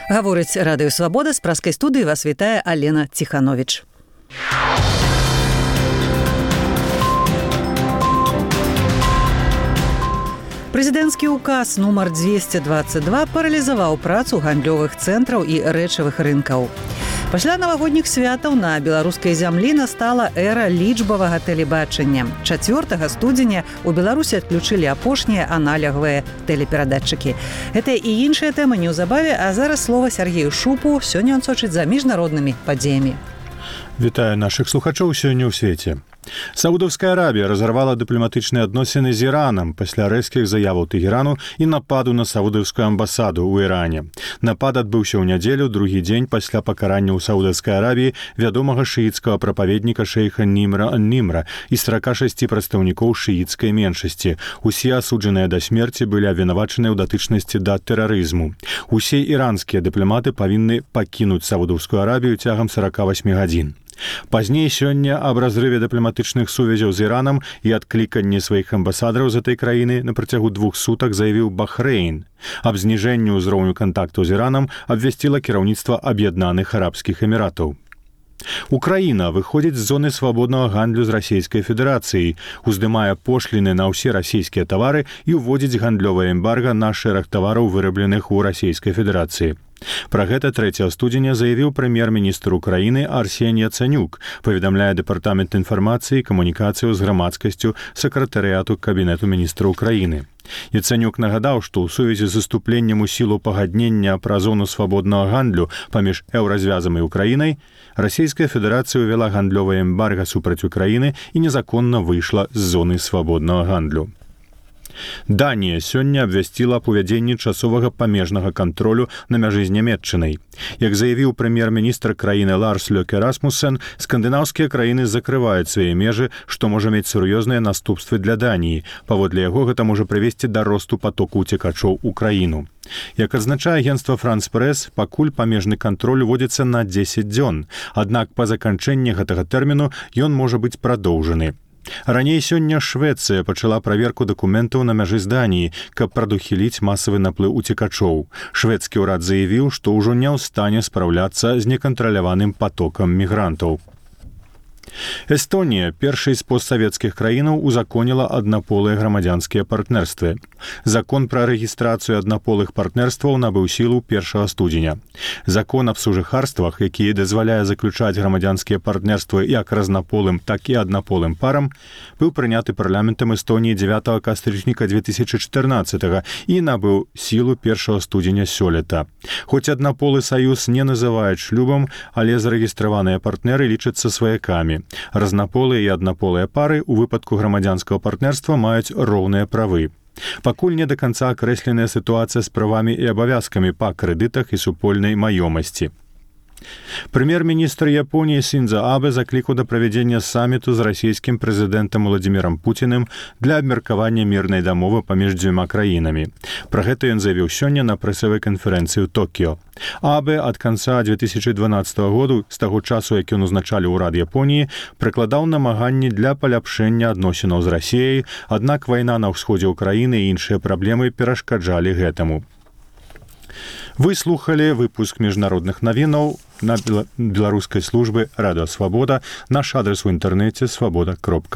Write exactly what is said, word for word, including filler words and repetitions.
Гаворыць радыё «Свабода», з праскай студыі вас вітае Алена Ціхановіч. Прэзідэнцкі ўказ нумар дзвесце дваццаць два паралізаваў працу гандлёвых цэнтраў і рэчавых рынкаў. Пасля навагодніх святаў на беларускай зямлі настала эра лічбавага тэлебачання. чацвёртага студзеня у Беларусі адключылі апошнія аналягавыя тэлеперадатчыкі. Гэта і іншыя тэмы неўзабаве, а зараз слова Сергею Шупу. Сёння ён сочыць за міжнароднымі падзеямі. Вітаю нашых слухачоў сёння ў свеце. Саудаўская Арабія разарвала дыпламатычныя адносіны з Іранам пасля рэзкіх заяваў Тэхерану і нападу на саудаўскую амбасаду ў Іране. Напад адбыўся ў нядзелю, другі дзень пасля пакарання ў Саудаўскай Арабіі вядомага шыіцкага прапаведніка шэйха Німра ан-Німра і сорока шасці прадстаўнікоў шыіцкай меншасці. Усе асуджаныя да смерці былі абвінавачаныя ў датычнасці да тэрарызму. Усе іранскія дыпламаты павінны пакінуць Саудаўскую Арабію цягам сорока восьмі гадзін. Пазней сёння аб разрыве дыпламатычных сувязяў з Іранам і адкліканні сваіх амбасадараў з гэтай краіны на працягу двух сутак заявіў Бахрэйн. Аб зніжэнні ўзроўню кантакту з Іранам абвясціла кіраўніцтва Аб'яднаных Арабскіх Эміратаў. Украіна выходзіць з зоны свабоднага гандлю з Расійскай Федэрацыяй, уздымае пошліны на ўсе расійскія тавары і ўводзіць гандлёвае эмбарга на шэраг тавараў, вырабленых у Расійскай Федэрацыі. Пра гэта трэцяга студзеня заявіў прэм'ер-міністр Украіны Арсень Яцэнюк, паведамляе дэпартамент інфармацыі і камунікацыяў з грамадскасцю сакратарыяту Кабінету міністра Украіны. Яцэнюк нагадаў, што ў сувязі з уступленнем у сілу пагаднення пра зону свабоднага гандлю паміж еўразвязам і Украінай Расійская Федэрацыя ўвяла гандлёвае эмбарга супраць Украіны і незаконна выйшла з зоны свабоднага гандлю. Данія сёння абвясціла аб увядзенні часовага памежнага кантролю на мяжы з Нямецчынай. Як заявіў прэм'ер-міністр краіны Ларс Лёке Расмуссен, скандынаўскія краіны закрываюць свае межы, што можа мець сур'ёзныя наступствы для Даніі. Паводле яго гэта можа прывесці да росту патоку ўцекачоў у краіну. Як адзначае агенцтва «Франс Прэс», пакуль памежны кантроль уводзіцца на дзесяць дзён, аднак па заканчэнні гэтага тэрміну ён можа быць прадоўжаны. Раней сёння Швецыя пачала праверку дакументаў на мяжы з Даніі, каб прадухіліць масавы наплыў уцекачоў. Шведскі ўрад заявіў, што ўжо не ў стане спраўляцца з некантраляваным патокам мігрантаў. Эстонія, першай з постсавецкіх краінаў, узаконіла аднаполыя грамадзянскія партнерствы. Закон пра рэгістрацыю аднаполых партнерстваў набыў сілу першага студзеня. Закон аб сужыхарствах, які дазваляе заключаць грамадзянскія партнерствы як разнаполым, так і аднаполым парам, быў прыняты парламентам Эстонії дзевятага кастрычніка две тысячи чатырнаццатага і набыў сілу першага студзеня сёлета. Хоць аднаполы саюз не называюць шлюбам, але зарэгістраваныя партнеры лічацца сваякамі. Разнаполыя і аднаполыя пары ў выпадку грамадзянскага партнерства маюць роўныя правы. Пакуль не да канца акрэсленая сітуацыя з правамі і абавязкамі па крэдытах і супольнай маёмасці. Прэм'ер-міністр Японіі Сіндзо Абэ заклікаў да правядзення саміту з расійскім прэзідэнтам Уладзімірам Пуціним для абмеркавання мірнай дамовы паміж дзвюма краінамі. Пра гэта ён заявіў сёння на прэсавай канферэнцыі ў Токіё. Абэ ад канца две тысячи дванаццатага году, з таго часу, як ён узначаліў урад Японіі, прыкладаў намаганні для паляпшэння адносінаў з Расіяй, аднак вайна на ўсходзе ўкраіны і іншыя праблемы перашкаджалі гэтаму. Вы слухалі выпуск міжнародных навінаў на беларускай службы радыё «Свабода». Наш адрес у інтэрнэце свабода кропка